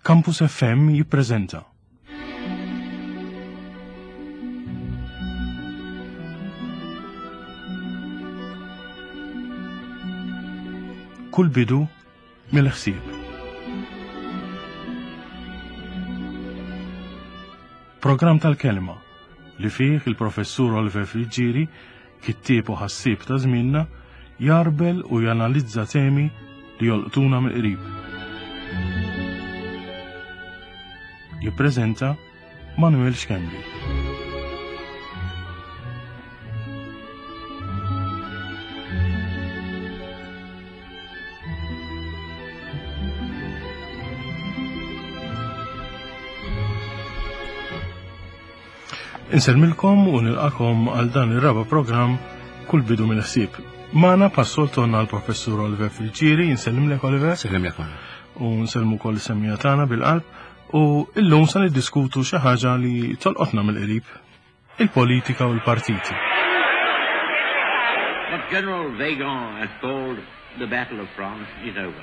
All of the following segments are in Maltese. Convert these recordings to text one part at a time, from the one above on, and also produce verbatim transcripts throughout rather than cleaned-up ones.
Campus F M jippreżenta. Kull bidu mill-ħsieb. Programm tal-kelma li fih il-professur Oliver Friggieri, kittieb u ħassieb ta' żmienna, jarbel u janalizza temi li jolqtuna mill-qrib. Jippreżenta Manuel Schembri. Insellmilkom u nilqakom għal dan ir-raba' programm Kull bidu mill-ħsieb. Magħna passol tonna l-professur Oliver Friggieri, insellimlek Oliver. Sellimlek Manuel. U nsellmu wkoll is-semmija tagħna bil-qalb. U illum se niddiskutu xi ħaġa li tolqotna mill-qrib, il-politika u l-partiti. What General Weygand has called the Battle of France is over.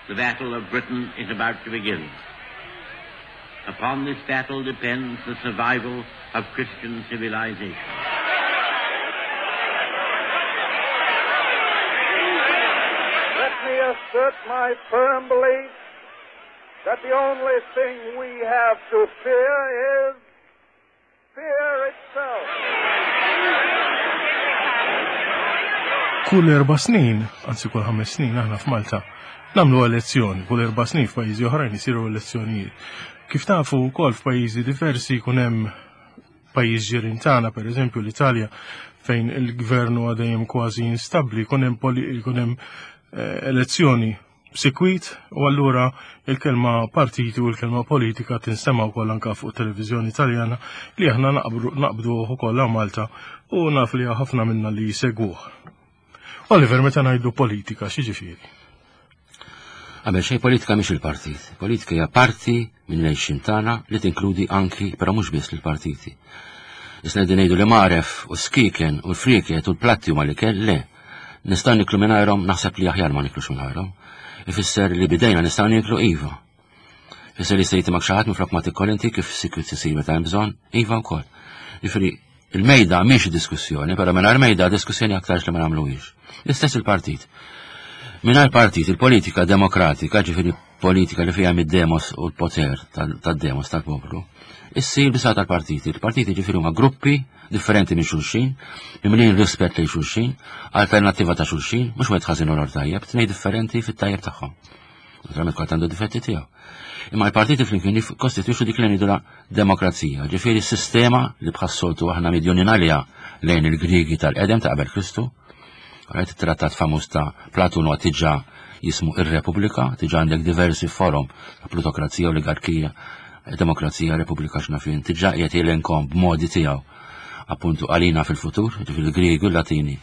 The Battle of Britain is about to begin. Upon this battle depends the survival of Christian civilization. Let me assert my firm belief that the only thing we have to fear is fear itself. Kull erba' snin, anzi kull ħames snin aħna f'Malta, nagħmlu elezzjoni, kull erba' snin f'pajjiżi oħrajn isiru elezzjonijiet. Kif tafu wkoll f'pajjiżi diversi jkun hemm pajjiż ġirien tagħna, pereżempju l-Italja, fejn il-gvern huwa dejjem kważi instabbli, jkun hemm poli-, jkun hemm, eh, elezzjoni b'sikwit, u allura il-kelma partiti u l-kelma politika tinstema' wkoll anke fuq televiżjoni Italjana li aħna naqbru, naqbduh ukoll hawn Malta u naf li ħafna minna li jsegwuh. Oliver, meta ngħidu politika, x'jiġifieri? Qabel xejn politika mhix il-partit. Politika hija parti minn lejxin tagħna li tinkludi anki, però mhux biss lill-partiti. Issa qegħdin ngħidu li magħref u skiken u l-frieket u l-platti huma l-ikel, le. Nistgħu niklu mingħajrhom, naħseb li aħjar ma niklux mingħajrhom. Ifisser li bidejna nistgħu niklu iva. Ifisser li sejti mak xi ħadd minflok ma tikkol inti kif sikwit isir meta hemm bżonn, iva wkoll. Jiġifieri il-mejda mhix diskussjoni, però mingħajr mejda diskussjoni aktarx li ma nagħmluhiex. L-istess il-partit. Mingħajr partit, il-politika demokratika, ġifieri politika li fiha mid-demos u l-poter tal-, tad-demos tal-poplu, issir bisa tal-partiti. Il-partiti ġifieri huma gruppi differenti minn xulxin, mimlin rispett lejn xulxin, alternattiva ta' xulxin, mhux wieħed ħażin u l-ieħor tajjeb, tnejn differenti fit-tajjeb tagħhom. Naturalment kulħadd għandu difetti tiegħu. Imma l-partiti flimkien jikkostitwixxu dik li ngħidulha demokrazija, ġifieri s-sistema li bħas-soltu aħna midjunin għaliha lejn il-Griegi tal-qedem ta' qabel Kristu. Rajt it-trattat famuż ta' Platun huwa diġà jismu ir-Repubblika, diġà għandek diversi forom ta' plutokrazija, oligarkija, demokrazija, Repubblika x'naf jien, diġà qiegħed jelenkom b'modi tiegħu appuntu għalina fil-futur, ġifieri l-Griegi u l-Latini.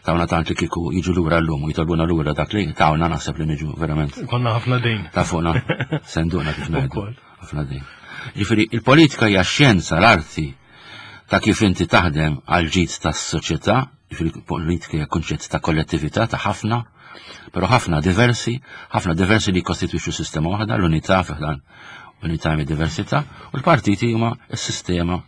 Tawna tant li kieku jiġu lura llum u jitolbuna lura dak li tawna naħseb li niġu verament. Konna ħafna dejn. Ta' fuqna senduna kif ngħidu. Ukoll. Ħafna dejn. Ġifieri il-politika hija xjenza, l-arti ta' kif inti taħdem għal ġid tas-soċjetà, ġifieri politika hija kunċett ta' kollettività ta' ħafna, però ħafna diversi, ħafna diversi li jikkostitwixxu sistema waħda, l-unità fiħdan unità mid diversità, u l-partiti huma s-sistema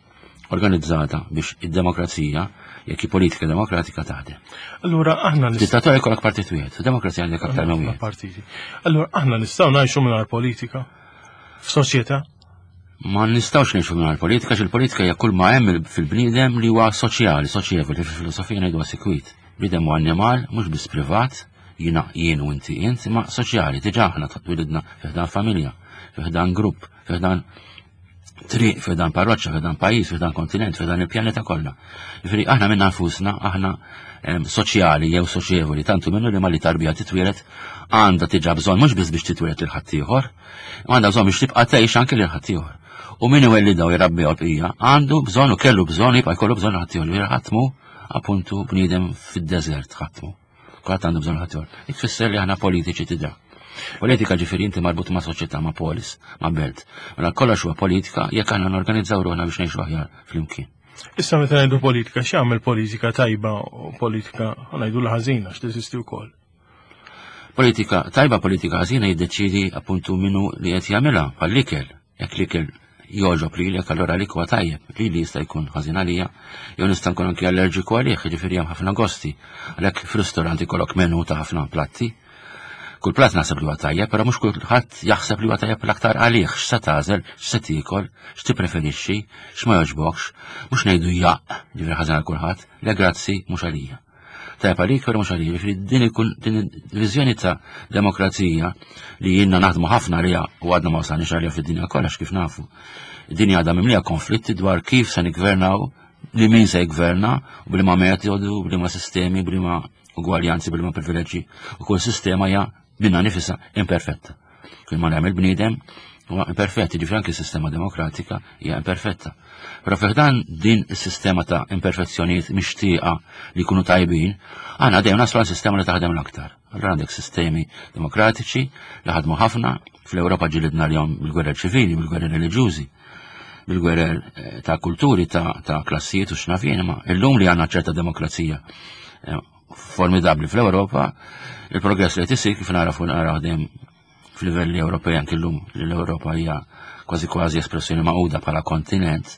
organizzata biex id-demokrazija, jekk hi politika demokratika taħdem. Allura aħna nist- Dittatorja jkollok partit wieħed, demokrazija għandek aktar minn wieħed. Partiti. Allura aħna nistgħu ngħixu mingħajr politika f'soċjetà? Ma nistgħux ngħixu mingħajr politika, għax il-politika hija kull ma hemm fil-bniedem li huwa soċjali, soċjevoli, fil-filosofija ngħidu sikwit. Bniedem huwa annimal, mhux biss privat, jiena jien u inti int, imma soċjali, diġà aħna twilidna fi ħdan familja, fi ħdan grupp, fi ħdan triq, fi ħdan parroċċa, fi ħdan pajjiż, fi ħdan kontinent, fi ħdan il-pjaneta kollha. Jiġifieri aħna minna nfusna, aħna, em, soċjali jew soċjevoli, tantu minnu li malli tarbija titwieled għandha diġà bżonn mhux biss biex titwieled lil ħaddieħor, imma għandha bżonn biex tibqa' tgħix anke lil ħaddieħor. U min iwellidha u jrabbiha l-bqija għandu bżonn u kellu bżonn jibqa' jkollu bżonn ħaddieħor, li ħatmu appuntu bniedem fid-deżert ħatmu. Kulħadd għandu bżonn ħaddieħor. Dik tfisser li aħna politiċi tidra. Politika ġifieri inti marbut ma' soċjetà, ma' polis, ma' belt. Mela kollox huwa politika jekk aħna norganizzaw ruħna biex ngħixu aħjar flimkien. Issa meta ngħidu politika, x'jagħmel politika tajba u politika ngħidu l-ħażina x'teżisti wkoll? Politika tajba, politika ħażina jiddeċidi appuntu minnu li qed jagħmilha bħall-ikel. Jekk l-ikel jogħġob lilek, allura għalik huwa tajjeb, lili jista' jkun ħażin għalija, jew nista' nkun anki allerġiku għalih, jiġifieri hemm ħafna gosti. Għalhekk f'ristorant ikollok menu ta' ħafna platti. Kull platt naħseb li huwa tajjeb, però mhux kulħadd jaħseb li huwa tajjeb l-aktar għalih, x'se tagħżel, x'se tiekol, x'tippreferixxi, x'ma jogħġbokx, mhux ngħidu jaqq, ġifieri ħażin għal kulħadd, le grazzi mhux għalija. Tajjeb għalik, però mhux għalija. Ġifieri din ikun din il-viżjoni ta' demokrazija li jiena naħdmu ħafna għaliha u għadna ma wasalniex għaliha fid-dinja kollha kif nafu. Id-dinja għadha mimlija konflitti dwar kif se niggvernaw, li min se jgverna, u b'liema metodu, b'liema sistemi, b'liema ugwaljanzi, b'liema privileġġi, u kull sistema hija minnha nifisha imperfetta. Kull ma nagħmel bniedem huwa imperfett, jiġifieri anke s-sistema demokratika hija imperfetta. Però fiħdan din is-sistema ta' imperfezzjonijiet mixtieqa li jkunu tajbin, għandna dejjem naslu għal sistema li taħdem l-aktar. Allura għandek sistemi demokratiċi li ħadmu ħafna, fl-Ewropa ġilidna l-jom bil-gwerer ċivili, bil-gwerer reliġjużi, bil-gwerer eh, ta' kulturi, ta', ta' klassijiet u x'naf jien, ma illum li għandna ċerta demokrazija eh, formidabli fl-Ewropa, il-progress li qed isir kif narafu naraw dejjem f'livelli Ewropej anke llum li l-Ewropa hija kważi kważi espressjoni magħquda bħala kontinent,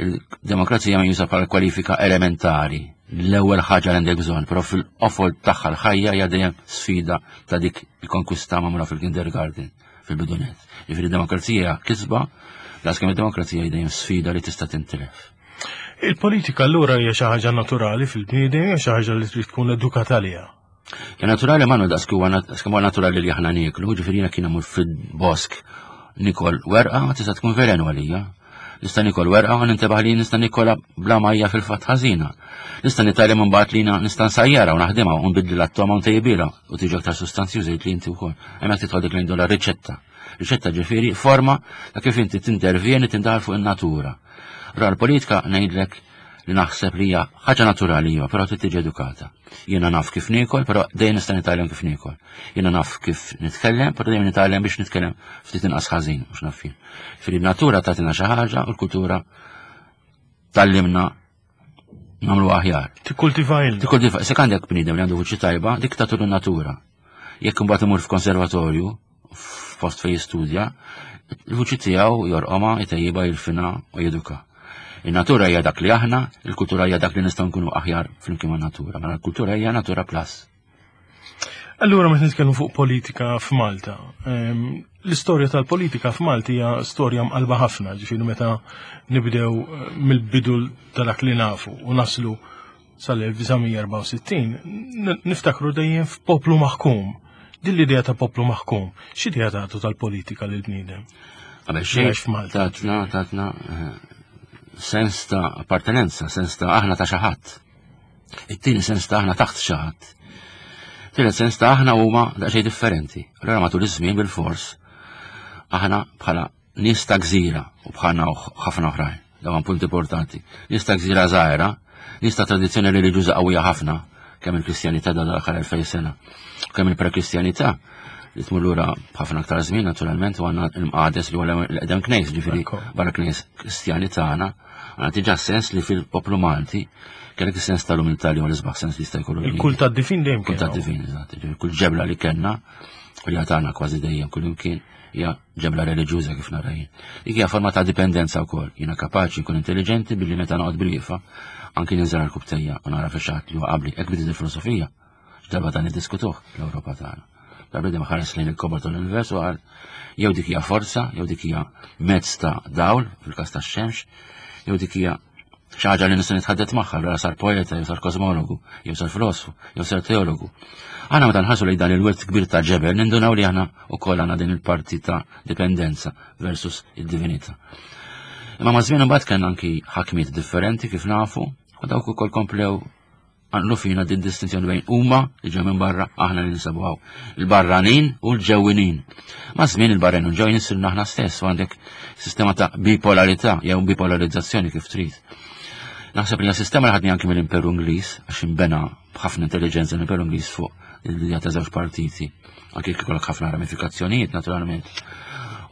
il-demokrazija meqjusa bħala kwalifika elementari, l-ewwel ħaġa li għandek bżonn, però fil-qofol tagħha l-ħajja hija dejjem sfida ta' dik il-konkwista magħmula fil-kindergarten, fil-bidunet. Jiġifieri demokrazija kisba, daqskemm id-demokrazija hija dejjem sfida li tista' tintilef. Il-politika allura hija xi ħaġa naturali fil-bniedem, hija xi ħaġa li trid tkun edukata għaliha. Ja naturali ma daqs kemm huwa naturali li aħna nieklu, ġifieri jiena kien imur fil-bosk nikol werqa tista' tkun velenu għalija. Nista' nikol werqa u nintebaħ li nista' nikola bla majja fil-fatt ħażina. Nista' nitgħallem imbagħad li nista' nsajjara u naħdimha u nbiddilha t-togħma u ntejbilha u tiġi aktar sustanzjuża li inti wkoll. Hemmhekk tidħol dik li riċetta. Riċetta ġifieri forma ta' kif inti tintervjeni tindaħal fuq in-natura. Ra l-politika ngħidlek li naħseb li hija ħaġa naturali iva, però trid tiġi edukata. Jiena naf kif niekol, però dejjem nista' nitgħallem kif niekol. Jiena naf kif nitkellem, però dejjem nitgħallem biex nitkellem ftit inqas ħażin, mhux naf jien. Ġifieri natura tagħtina xi ħaġa u l-kultura tgħallimna nagħmlu aħjar. Tikkultiva il. Tikkultiva, se għandek bniedem li għandu vuċi tajba, dik tagħtu natura. Jekk imbagħad imur f'konservatorju, f'post fejn jistudja, il-vuċi tiegħu jorqomha, jtejjibha, jirfina u jeduka. Il-natura hija dak li aħna, il-kultura hija dak li nistgħu nkunu aħjar flimkien man-natura. Mela l-kultura hija natura plus. Allura meta nitkellmu fuq politika f'Malta, ehm, l-istorja tal-politika f'Malta hija storja mqalba ħafna, ġifieri meta nibdew eh, mill-bidu ta' dak li nafu u naslu sal-elf disa' mija erbgħa u sittin, niftakru dejjem f'poplu maħkum. Din l-idea ta' poplu maħkum, x'idea tagħtu tal-politika lil bniedem? Qabel xejn tatna tatna eh, sens ta' appartenenza, sens ta' aħna ta' xi ħadd. It-tieni sens ta' aħna taħt xi ħadd. Tielet sens ta' aħna huma daqsxejn differenti. Allura matul iż-żmien bil-fors aħna bħala nies ta' gżira u bħalna ħafna oħrajn. Dawn punt importanti. Nies ta' gżira żgħira, nies ta' tradizzjoni reliġjuża qawwija ħafna, kemm il-Kristjanità da l-aħħar elfejn sena, kemm il-prekristjanità li tmur lura b'ħafna aktar żmien naturalment u għandna l-mqades li huwa l-eqdem knejs, ġifieri barra knejs Kristjani tagħna, għandna diġà sens li fil-poplu Malti kellek is-sens tal-umiltà li huwa l-isbaħ sens li jista' jkollu. Il-kult tad-divin dejjem Kult tad-divin, eżatt. Kull ġebla li kellna u li għatana kważi dejjem kull imkien hija ġebla reliġjuża kif nara jien. Dik hija forma ta' dipendenza wkoll. Jiena kapaċi nkun intelligenti billi meta noqgħod bil-wieqfa anki ninżel għall-kubtejja u nara fi xaħat li huwa qabli. Hekk bdiet il-filosofija. X'darba dan niddiskutuh l-Ewropa tagħna. Darba dejjem ħares lejn il-kobor tal-univers u qal jew dik hija forza, jew dik hija mezz ta' dawl fil-każ tax-xemx, jew dik hija xi ħaġa li nista' nitħaddet magħha, allura sar poeta, jew sar kosmologu, jew sar filosofu, jew sar teologu. Aħna meta nħarsu lejn dan il-wirt kbir ta' ġebel, nindunaw li aħna wkoll għandna din il-parti ta' dipendenza versus id-divinità. Imma ma' żmien imbagħad kellna anki ħakmiet differenti kif nafu, u dawk ukoll komplew għanlu fina din distinzjoni bejn huma li ġew minn barra, aħna li ninsabu hawn. Il-barranin u l-ġewwinin. Ma' żmien il-barranin u l-ġewwinin sirna aħna stess u għandek sistema ta' bipolarità jew bipolarizzazzjoni kif trid. Naħseb li hija sistema li ħadni anki mill-Imperu Ingliż, għax imbena b'ħafna intelligenza l-Imperu Ingliż fuq l-idea ta' żewġ partiti. Anki jekk ikollok ħafna ramifikazzjonijiet naturalment.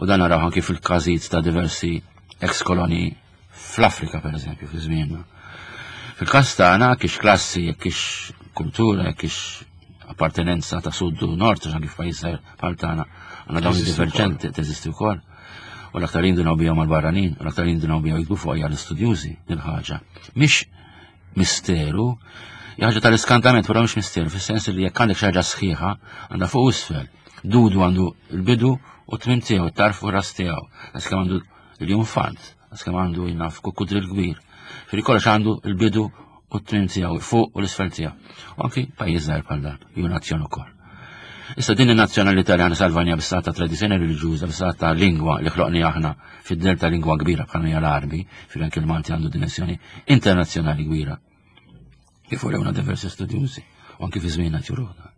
U dan naraw anki fil-każijiet ta' diversi ex-koloni fl-Afrika, per eżempju, fi żmienna. Fil-każ tagħna kiex klassi, kiex kultura, kiex appartenenza ta' sud u nord, għax anki f'pajjiż bħal tagħna għandna dawn diverġenti teżisti wkoll. U l-aktar jindunaw bihom mal-barranin, u l-aktar jindunaw bihom jiktbu fuq hija l-istudjużi din ħaġa. Mhix misteru, hija ħaġa tal-iskantament, però mhix misteru, fis-sens li jekk għandek xi ħaġa sħiħa, għandha fuq u isfel. Dudu għandu l-bidu u t-tmiem tiegħu, it-tarf u ras tiegħu. Għax għandu l-iljunfant, għax għandu jnaf kukkudril kbir. Firri kollox għandu l-bidu u t-tmiem tiegħu, fuq u l-isfel tiegħu. U anki pajjiż żgħir bħal dan, ju nazzjon ukoll. Issa din in-nazzjonalità li aħna salvajna bis-saħħa ta' tradizzjoni reliġjuża, bis-saħħa ta' lingwa li ħloqni aħna fid-del ta' lingwa kbira bħalma hija l-Għarbi, fil anke l-Malti għandu dimensjoni internazzjonali kbira. Kif urewna diversi studjużi, u anki fi żmienna juruna.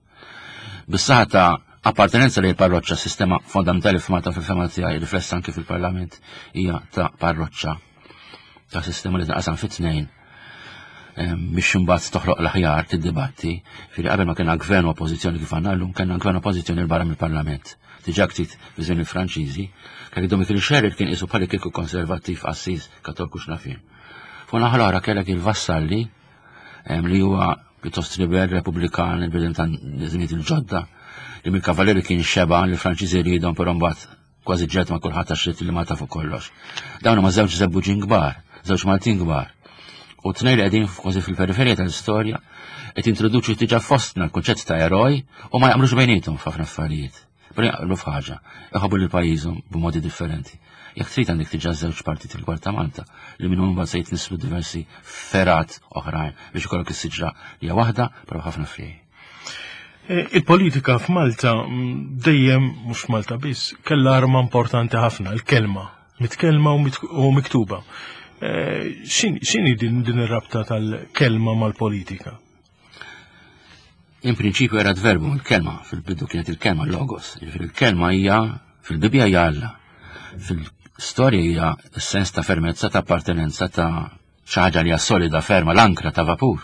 Bis-saħħa ta' appartenenza li parroċċa, sistema fondamentali f'Malta fil-fema tiegħi riflessa anki fil-Parlament hija ta' parroċċa, ta' sistema li tinqasam fit-tnejn biex imbagħad toħloq l-aħjar tiddibatti, firri qabel ma kellna gvern u oppożizzjoni kif għandna llum, kellna gvern u oppożizzjoni 'l barra mill-Parlament. Diġà ftit fi żmien il-Franċiżi, kellek Dom Mikiel Xerri kien qisu bħali kieku konservattiv qassis Kattoliku x'naf jien. Fuq naħa l-oħra kellek il-Vassalli li huwa pjuttost libel, repubblikan, il-bidem ta' żmien il-ġodda, li mill-kavaleri kien xeba li l-Franċiżi rridhom, però mbagħad kważi ġed ma' kulħadd għax li ma tafu kollox. Dawn huma żewġ żebbuġin kbar, żewġ Maltin kbar. U tnejn li qegħdin kważi fil-periferija tal-istorja qed introduċu diġà fostna l-kunċett ta' eroj u ma jaqblux bejniethom f'ħafna affarijiet. Però jaqblu f'ħaġa, iħobbu lil pajjiżhom b'modi differenti. Jekk trid għandek diġà żewġ partiti l-kbar ta' Malta li minnhom imbagħad se jitnislu diversi fergħat oħrajn biex ikollok is-siġra li hija waħda però ħafna friegħi. Il-politika f'Malta dejjem, mhux Malta biss, kellha arma importanti ħafna, il-kelma, mitkellma u miktuba. X'inhi din din ir-rabta tal-kelma mal-politika? In prinċipju erat verbu, il-kelma, fil-bidu kienet il-kelma logos. Jiġifieri il-kelma hija fil-Bibbja hija Alla. Fil-storja hija s-sens ta' fermezza, ta' appartenenza, ta' xi ħaġa li hija solida, ferma, l-ankra ta' vapur.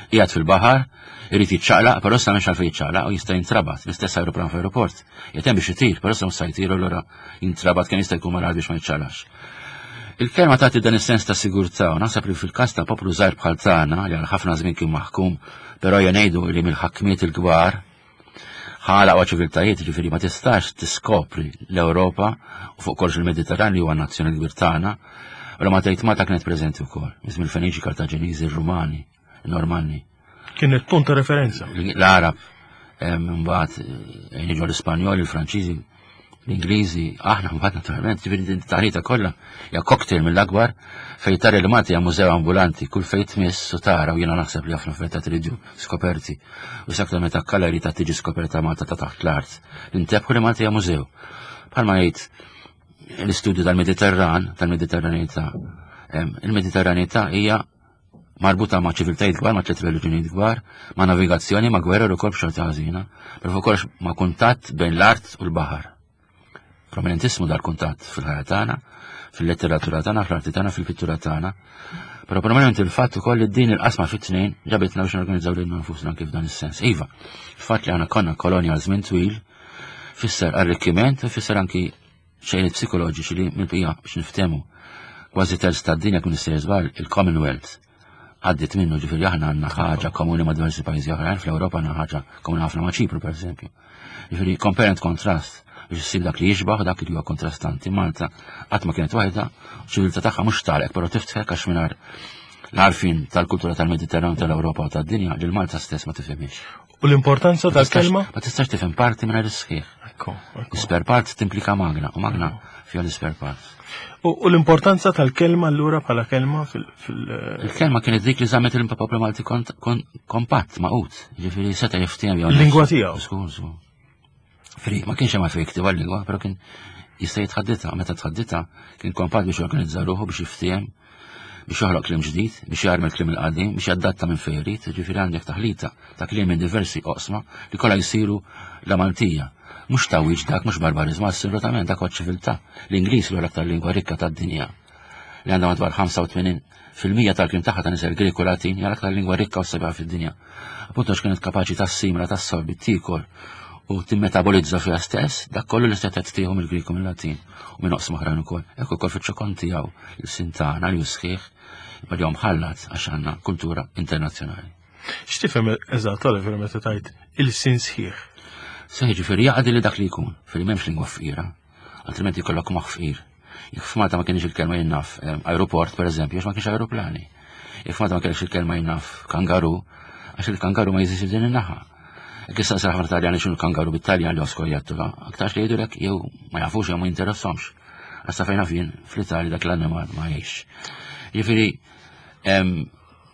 Qiegħed fil-baħar, irid jiċċaqlaq, però issa m'hemmx għalfejn jiċċaqlaq u jista' jintrabat, l-istess aeroplan f'aeroport. Qiegħed hemm biex itir, però issa mhux se jtir u allura jintrabat kemm jista' jkun malajr biex ma jiċċaqlax. Il-kelma tagħti dan is-sens ta' sigurtà u naħseb li fil-każ ta' poplu żgħir bħal tagħna li għal ħafna żmien kien maħkum, però ejja ngħidu li mill-ħakmiet il-kbar ħalaq ċiviltajiet, ġifieri ma tistax tiskopri l-Ewropa u fuq kollox il-Mediterran li huwa nazzjoni kbir tagħna, u ma tgħid Malta kienet preżenti wkoll, miż mill-Feniċi, Kartaġeniżi, ir-Rumani, il-Normanni. Kienet punt ta' referenza. L-Arab, mbagħad jiġu l-Ispanjoli, il-Franċiżi, l-Ingliżi, aħna mbagħad naturalment, ġifieri din taħlita kollha hija cocktail mill-akbar fejn tara li Malta hija mużew ambulanti, kull fejn tmiss u tara, u jiena naħseb li ħafna affarijiet tridu skoperti. U sakta meta kalari ta' tiġi skoperta Malta ta' taħt l-art. Intebħu li Malta hija mużew. Bħalma jgħid l-istudju tal-Mediterran, tal-Mediterranità. Il-Mediterranità hija marbuta ma' ċiviltajiet kbar, ma' tliet reliġjonijiet kbar, ma' navigazzjoni, ma' gwerra u ukoll b'xorta ħażina, però fuq kollox ma' kuntatt bejn l-art u l-baħar. Prominentissmu dal-kuntatt fil-ħajja tagħna, fil-letteratura tagħna, fl-arti tagħna, fil-pittura tagħna. Però prominenti il-fatt ukoll li din il-qasma fit-tnejn ġabitna biex norganizzaw lilna nfusna kif dan is-sens. Iva, il-fatt li aħna konna kolonja għal żmien twil fisser arrikkiment u fisser anki xejn psikoloġiċi li mill-bqija biex niftehmu. Kważi terz tad-dinja kun issir żball il-Commonwealth għaddit minnu, ġifieri aħna għandna ħaġa komuni ma' diversi pajjiżi oħrajn, fl-Ewropa għandna ħaġa komuni ħafna ma' Ċipru pereżempju. Ġifieri compare and contrast biex issib dak li jixbaħ dak li huwa kontrastanti. Malta qatt ma kienet waħda, ċiviltà tagħha mhux talek, però tiftħek għax mingħajr l-għarfien tal-kultura tal-Mediterran, tal-Ewropa u tad-dinja li l-Malta stess ma tifhimx. U l-importanza tal-kelma? Ma tistax tifhem parti mingħajr is-sħiħ. Ekku, ekku. Spare part timplika magna, u magna fiha l-spare part. U, u l-importanza tal-kelma allura bħala kelma fil-, fil Il-kelma kienet dik li żammet il-poplu Malti kont-, kon-, kompatt, maqut, ġifieri seta' jiftiem jew Il-lingwa tiegħu. Żgur, żgur. Fri, ma kienx hemm għalfejn jiktibha l-lingwa, però kien jista' jitħadditha, meta tħadditha kien kompatt biex jorganizza ruħu, biex jiftiem, biex joħloq kliem ġdid, biex jarmi l-kliem il-qadim, biex jadatta minn fejn irid, ġifieri għandek taħlita ta' kliem minn diversi oqsma li kollha jsiru la Maltija. Mhux tawwiġ dak, mhux barbariżmu, assolutament dak huwa ċiviltà. L-Ingliż huwa l-aktar lingwa rikka tad-dinja li għandha madwar ħamsa u tmenin fil-mija tal-kliem tagħha ta' nisel Grek u Latin, hija l-aktar lingwa rikka u sabiħa fid-dinja. Appunto għax kienet kapaċi tassimla, tassorbi, tiekol u timmetabolizza fiha stess dak kollu li setgħet tieħu mill-Grek u mill-Latin u minn oqsma oħrajn ukoll. Hekk ukoll fiċ-ċokon tiegħu il-sintana li hu sħiħ, imma li huwa mħallat għax għandna kultura internazzjonali. X'tifhem eżatt, Oliver, meta tgħid ilsien sħiħ? Sħiħ ġifieri jaqdi li dak li jkun, fil m'hemmx lingwa fqira, altrimenti jkollok moħħ fqir. Jekk f'Malta ma kienx il-kelma jien naf aeroport, per eżempju, għax ma kienx aeroplani. Jekk f'Malta ma kienx il-kelma jien naf kangaru, għax il-kangaru ma jeżistix din in-naħa. Jekk issa ħafna Taljani x'inhu kangaru bit-Taljan li oskorjattura, aktarx li jgħidulek jew ma jafux jew ma jinteressahomx. Għax sa fejn naf jien fl-Italja dak l-annimal ma jgħix. Jiġifieri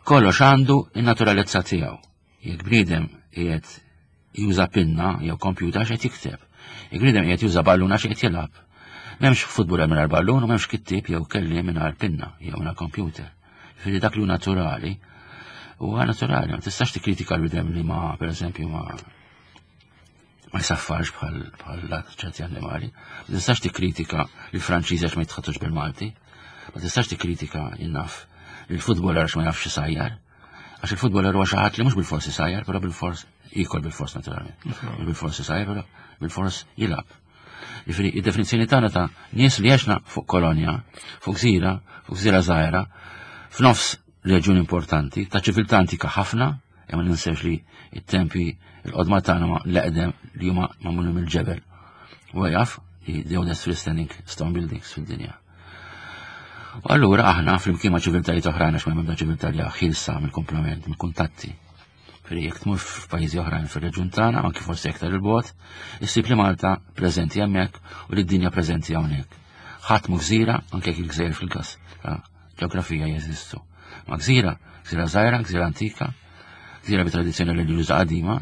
kollox għandu in-naturalezza tiegħu. Jekk bniedem qiegħed juża pinna jew computer għax qed jikteb. Jekk bniedem qiegħed juża ballun għax qed jilgħab. M'hemmx futbol mingħajr ballun u m'hemmx kittieb jew kelliem mingħajr pinna jew mingħajr computer. Jiġifieri dak li hu naturali huwa naturali, ma tistax tikkritika l-bniedem li ma pereżempju ma ma jsaffarx bħal bħal ċerti annimali. Ma tistax tikkritika l-Franċiżi għax ma jitħaddtux bil-Malti. Ma tistax tikkritika jien naf il-futboler għax ma jafx isajjar. Għax il-futboler huwa xi ħadd li mhux bil-fors isajjar, però bil-fors jikol bil-fors naturalment. Bil-fors isajjar, però bil-fors jilgħab. Jiġifieri id-definizzjoni tagħna ta' nies li għexna fuq kolonja, fuq gżira, fuq gżira żgħira, f'nofs reġjun importanti, ta' ċiviltà antika ħafna, imma ninsewx li it-tempi il-qodma tagħna ma l-eqdem li huma magħmulin mill-ġebel. U jaf li the oldest freestanding stone buildings fid-dinja. U allura aħna flimkien ma' ċiviltajiet oħrajn għax ma m'hemmx ċiviltà li ħielsa mill-kumplament, mill-kuntatti. Ferri jekk tmur f'pajjiżi oħrajn fir-reġjun tagħna, anki forsi aktar il-bogħod, issib li Malta preżenti hemmhekk u li d-dinja preżenti hawnhekk. Ħadd mu gżira, anke jekk il-gżejjer fil-gas ta' ġeografija jeżistu. Ma gżira, gżira żgħira, gżira antika, gżira bi tradizzjoni reliġjuża qadima,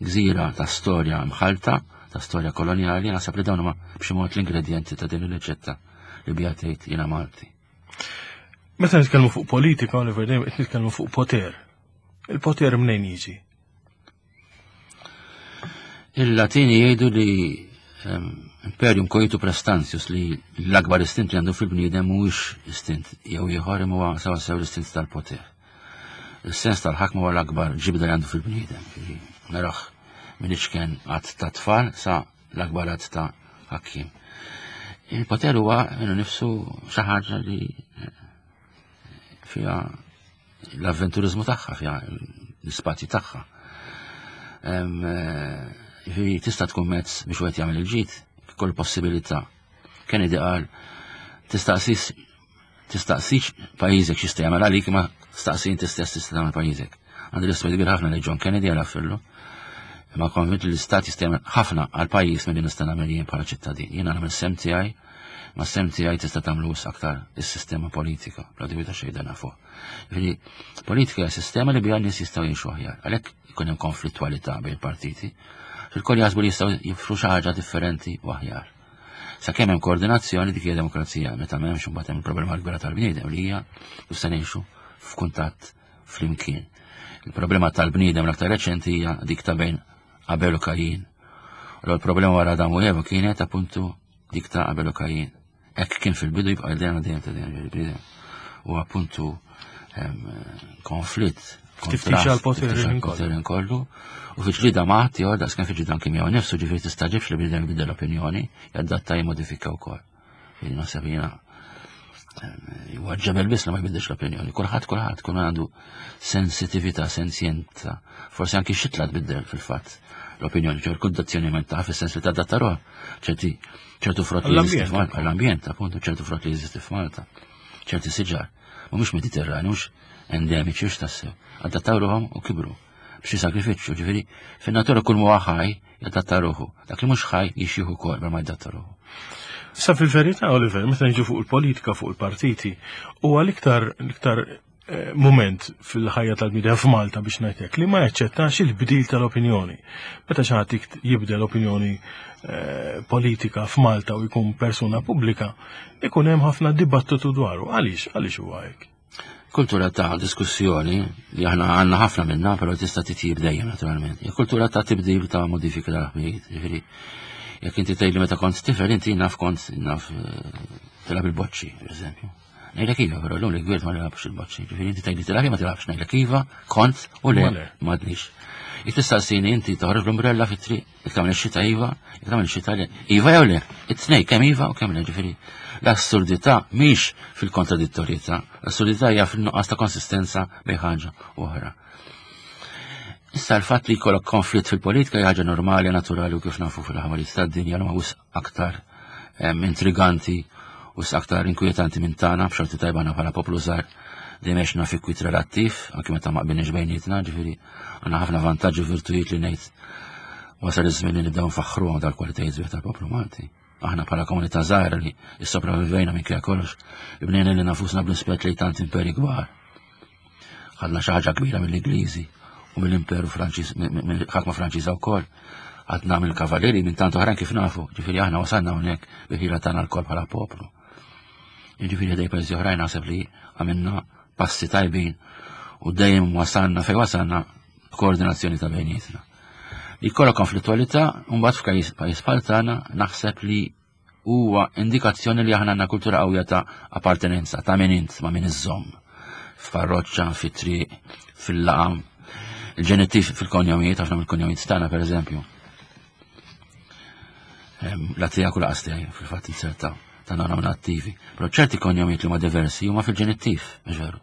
gżira ta' storja mħalta, ta' storja koloniali, naħseb li dawn huma b'xi mod l-ingredjenti ta' din il-riċetta li biha tgħid jiena Malti. Meta nitkellmu fuq politika, Oliver, dejjem qed nitkellmu fuq poter. Il-poter mnejn jiġi? Il-Latini jgħidu li ehm, imperium coitu praestantius, li l-akbar istint li għandu fil-bniedem mhuwiex istint jew ieħor imma huwa sewa sew l-istint tal-poter. Il-sens tal-ħakma huwa l-akbar ġibda li għandu fil-bniedem. Naraħ minn iċken għadd ta' tfal sa l-akbar għadd ta' ħakkim. Il-poter huwa minnu nifsu xi ħaġa li eh, fiha l-avventurizmu tagħha, fiha l-ispazji tagħha. Em, eh, Jiġifieri tista' tkun mezz biex wieħed jagħmel il-ġid, kull possibilità. Kennedy qal tistaqsis tistaqsix pajjiżek x'jista' jagħmel għalik ma staqsi inti stess tista' tagħmel pajjiżek. Għandi rispett kbir ħafna lejn John Kennedy għal affillu. Imma konvint li l-istat jista' jagħmel ħafna għal pajjiż milli nista' nagħmel jien bħala ċittadin. Jiena nagħmel sehem tiegħi, ma sehem tiegħi tista' tagħmlu aktar is-sistema politika, bla dubju ta' xejn dan nafu. Jiġifieri politika hija sistema li biha n-nies jistgħu jgħixu aħjar. Għalhekk ikun hemm konflittwalità bejn partiti. Fil-koll jaħsbu li jistgħu jifru xi ħaġa differenti u aħjar. Sakemm hemm koordinazzjoni dik hija demokrazija, meta m'hemmx imbagħad hemm il-problema l-kbira tal-bniedem li hija kif se ngħixu f'kuntatt flimkien. Il-problema tal-bniedem l-aktar reċenti hija dik ta' bejn Abel u Kajin. U l-problema wara Adam u Eva kienet appuntu dik ta' Abel u Kajin. Hekk kien fil-bidu jibqa' dejjem dejjem ta' dejjem il-bniedem. U appuntu konflitt Tiftix għal-poter għal-poter kollu. U fi ġlida ma' ħadd daqs kemm fi ġlida anke miegħu nifsu, ġifieri tistaġibx li bniedem jibdel l-opinjoni, jadatta jimmodifika wkoll. Jiġifieri naħseb jiena huwa ġebel biss li ma jbiddilx l-opinjoni. Kulħadd kulħadd kull għandu sensitività, sensjenza. Forsi anki xitla tbiddel fil-fatt l-opinjoni, ċer kundazzjoniment ta' fis-sens li tadatta ruħha. Ċerti ċertu frott li jeżisti f'Malta, għall-ambjent, appuntu ċertu frott li jeżisti f'Malta. Ċerti siġar, mhumiex Mediterrani, mhux endemiċi, mhux tassew. Adattaw ruħhom u kibru b'xi sakrifiċċju, ġifieri fin-natura kull huwa ħaj jadatta ruħu. Dak li mhux ħaj jixjieħ ukoll ma jadatta ruħu. Sa fil-verità, Oliver, meta niġu fuq il-politika, fuq il-partiti, huwa l-iktar l-iktar eh, moment fil-ħajja tal-bniedem f'Malta biex ngħidlek li ma jaċċettax il-bdil tal-opinjoni. Meta xi ħadd jibdel opinjoni eh, politika f'Malta u jkun persuna pubblika, ikun hemm ħafna dibattitu dwaru. Għaliex? Għaliex huwa hekk? Kultura ta' diskussjoni li aħna għandna ħafna minna, però tista' titjib dejjem naturalment. Hija kultura ta' tibdil ta' modifika tal-ħbijiet. Ġifieri, jekk inti tgħidli meta kont tifel inti naf kont naf eh, tilgħab il-boċċi, pereżempju. Ngħidlek iva, però llum li kbirt ma nilgħabx il-boċċi. Ġifieri inti tgħidli tilgħab ma tilgħabx, ngħidlek iva, kont u le m'għadnix. Jekk tistaqsini inti toħroġ l-umbrella fit-triq, jekk tagħmel ix-xita iva, jekk tagħmel ix-xita le. Iva jew le, it-tnejn kemm iva u kemm le, ġifieri l-assurdità mhix fil-kontradittorjetà, l-assurdità hija fil-nuqqas ta' konsistenza bejn ħaġa u oħra. Issa l-fatt li jkollok konflitt fil-politika hija ħaġa normali, naturali u kif nafu fil-ħamarijiet tad-dinja li ma wisq aktar intriganti u aktar inkwetanti minn tagħna, b'xorti tajba aħna bħala poplu żgħar dejjem għexna fi kwit relattiv, anke meta ma qbilniex bejnietna, ġifieri għandna ħafna vantaġġi u virtujiet li ngħid wasal iż-żmien li nibdew nfaħħruhom dal-kwalitajiet sbieħ tal-poplu Malti. Aħna bħala komunità żgħira li ssopravvivejna minkejja kollox, bnejna lil nafusna bl-ispett lejn tant imperi kbar. Ħadna xi ħaġa kbira mill-Ingliżi u mill-Imperu Franċiż, mill-ħakma Franċiża wkoll. Għadna mill-Kavalieri minn tant oħrajn kif nafu, ġifieri aħna wasalna hawnhekk bi ħila tagħna lkoll bħala poplu. Jiġifieri ħdej pajjiżi oħrajn naħseb li għamilna passi tajbin u dejjem wasalna fejn wasalna koordinazzjoni ta' bejnietna. Li jkollok konflittualità mbagħad f'pajjiż pajjiż bħal tagħna naħseb li huwa indikazzjoni li aħna għandna kultura qawwija ta' appartenenza, ta' min int ma' min iżżomm. F'parroċċa, fit-triq, fil-laqam, il-ġenittiv fil-konjomijiet, ħafna mill-konjomijiet tagħna pereżempju. La tiegħek u laqas tiegħi fil-fatt inserta ta' nominattivi. Però ċerti konjomijiet li huma diversi huma fil-ġenittiv, mhux veru.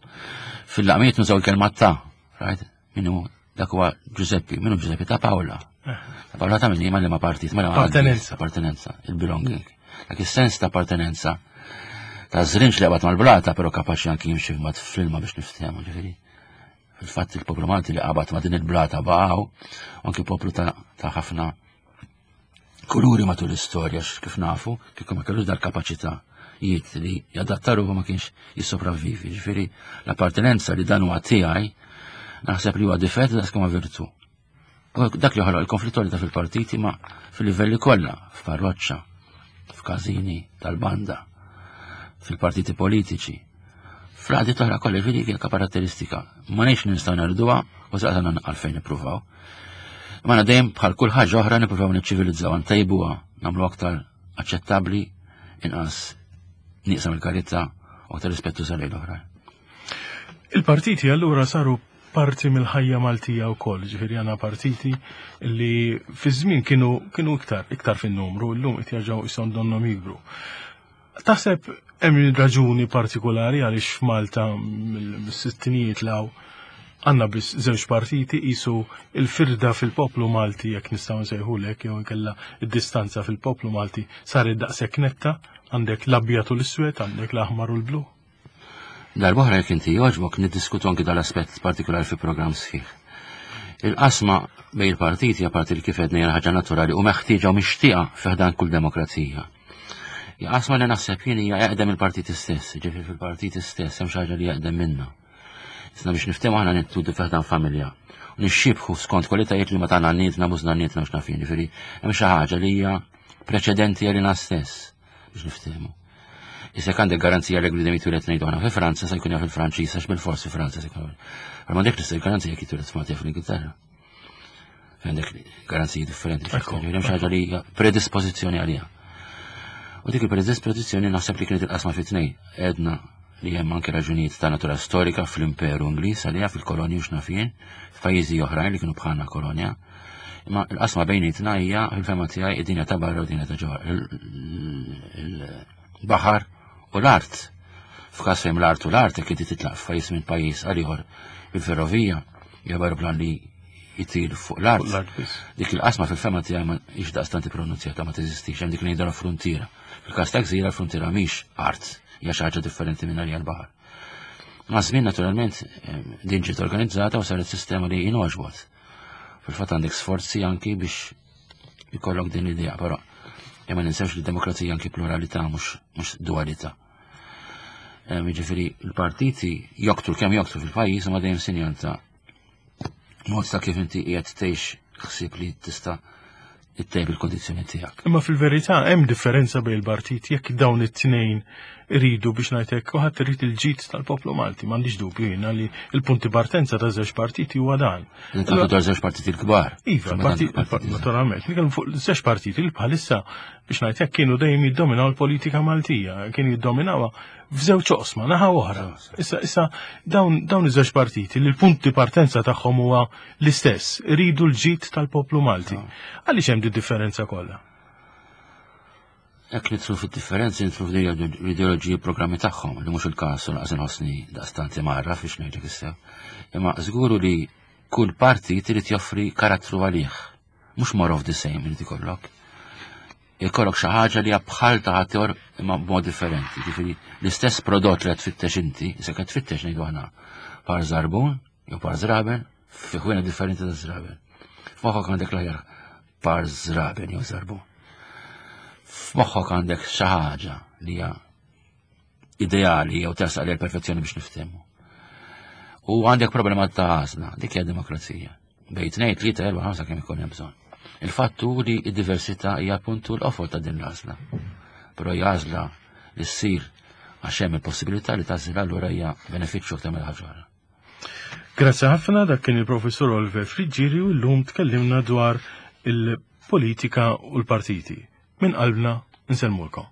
Fil-laqmijiet nużaw il-kelma ta', right? Min hu dak huwa Giuseppi, min hu Giuseppi ta' Paola. Ta' Paola ta' min ma li ma partit, ma li ma Appartenenza. Appartenenza, il-belonging. Dak is-sens ta' appartenenza ta' żrinġ li qabad mal-blata, però kapaċi anki jimxi mat fl-ilma biex niftehmu, ġifieri. Fil-fatt il-poplu Malti li qabad ma' din il-blata baqgħu, anki poplu ta' ta' ħafna kuluri matul l-istorja, kif nafu, kieku ma kellux dal-kapaċità jiet li jadattaru ma kienx jissopravvivi. Ġifieri l-appartenenza li dan huwa tiegħi naħseb li huwa difett daqs kemm virtu. U dak li ħoloq il-konflittualità fil-partiti ma fil-livelli kollha, f'parroċċa, f'każini tal-banda, fil-partiti politiċi. Fl-għadi toħra kollha ġifieri hija karatteristika. Ma nix nistgħu nerduha u saqsana għalfejn nippruvaw. Ma dejjem bħal kull ħaġa oħra nippruvaw niċċivilizzaw, ntejbuha, nagħmlu aktar aċċettabbli, inqas nieqsam il-karità u aktar rispettu lejn l-oħrajn. Il-partiti allura saru parti mill-ħajja Maltija wkoll, ġifieri għandna partiti li fi żmien kienu kienu iktar iktar fin-numru, llum qed jerġgħu ishom donnhom jikbru. Taħseb hemm raġuni partikolari għaliex f'Malta mill-sittinijiet law għandna biss żewġ partiti qisu il-firda fil-poplu Malti jekk nistgħu nsejħulek jew inkella id-distanza fil-poplu Malti saret daqshekk netta, għandek l-abjad u l-iswed, għandek l-aħmar u l-blu. Darb'oħra jekk inti jogħġbok niddiskutu anki dal-aspett partikolari fi programm sħiħ. Il-qasma bejn il-partiti apparti li kif għedna hija ħaġa naturali u meħtieġa u mixtieqa fi ħdan kull demokrazija. Hija qasma li naħseb jien hija eqdem il-partiti stess, ġifieri fil-partiti stess hemm xi ħaġa li eqdem minna. Isna biex niftehmu aħna nittudu fi ħdan familja. U nixxibħu skont kwalitajiet li ma tagħna nietna mużna nietna mhux nafin, ġifieri hemm xi ħaġa li hija preċedenti għalina stess biex niftehmu. Issa għandek garanzija li bniedem jitwieled ngħidu aħna fi Franza se jkun jaf il-Franċiż għax bil-fors fi Franza se jkun. Ma m'għandek l-istess garanzija jekk jitwieled f'Malta fl-Ingilterra. Għandek garanziji differenti. Hemm xi ħaġa li hija predispożizzjoni għaliha. U dik il-predispożizzjoni naħseb li kienet il-qasma fi tnejn. Għedna li hemm anke raġunijiet ta' natura storika fl-Imperu Ingliż għaliha fil-kolonji u x'nafien, f'pajjiżi oħrajn li kienu bħalna kolonja. Imma l-qasma bejnietna hija fil-fehma tiegħi id-dinja ta' barra u dinja ta' ġewwa. Il-baħar u l-art. F'każ fejn l-art u l-art jekk inti titlaq f'pajjiż minn pajjiż għal ieħor bil-ferrovija jew aeroplan li jitir fuq l-art. Dik il-qasma fil-fehma tiegħi ma hix daqstant pronunzjata ma teżistix, hemm dik ngħidu l-fruntiera. Fil-każ ta' gżira l-fruntiera mhix art, hija xi ħaġa differenti minn għalija l-baħar. Ma' żmien naturalment din ġiet organizzata u saret sistema li jingħoġbot. Fil-fatt għandek sforzi anki biex ikollok din l-idea, però imma ninsewx li d-demokrazija anki pluralità mhux dualità. Jiġifieri l-partiti joktru kemm joktru fil-pajjiż ma dejjem sinjal ta' mod ta' kif inti qiegħed tgħix ħsieb li tista' ittejjeb il-kondizzjoni tiegħek. Imma fil-verità hemm differenza bejn il-partit jekk dawn it-tnejn iridu biex ngħidlek u ħadd irid il-ġid tal-poplu Malti, m'għandix dubju jiena li l-punti partenza ta' żewġ partiti huwa dan. Nitkellmu dwar żewġ partiti l-kbar. Iva, naturalment, nitkellmu fuq żewġ partiti li bħalissa biex ngħidlek kienu dejjem jiddominaw l-politika Maltija, kienu jiddominawha f'żewġ oqsma, naħa oħra. Issa issa dawn dawn iż-żewġ partiti li l-punti partenza tagħhom huwa l-istess, iridu l-ġid tal-poplu Malti. Għaliex hemm di differenza kollha? Jekk nidħlu fid-differenzi nidħlu fl-ideoloġiji programmi tagħhom, li mhux il-każ u laqas inħossni daqstant marra biex ngħidlek issew. Imma żguru li Kull partit irid joffri karattru għalih. Mhux more of the same irid ikollok. Ikollok xi ħaġa li hija bħal ta' ħaddieħor imma b'mod differenti. Ġifieri l-istess prodott li qed tfittex inti, se qed tfittex, ngħidu aħna, par żarbun jew par żraben fi ħwienet differenti ta' żraben. F'moħħok għandek l-aħjar par żraben jew żarbun. F'moħħok għandek xi ħaġa li hija ideali jew tersaq lejn perfezzjoni, biex niftehmu. U għandek problema ta' għażla, dik hija demokrazija. Bejn tnejn, tlieta, erba', ħamsa, kemm ikun hemm bżonn. Il-fattu li d-diversità hija appuntu l-qofol ta' din l-għażla. Però hija għażla li ssir għax hemm il-possibilità li tagħżel, allura hija benefiċċju aktar mill ħaġa oħra. Grazzi ħafna, dak kien il-professor Oliver Friggieri u llum tkellimna dwar il-politika u l-partiti. Min qalbna nsellmulkom.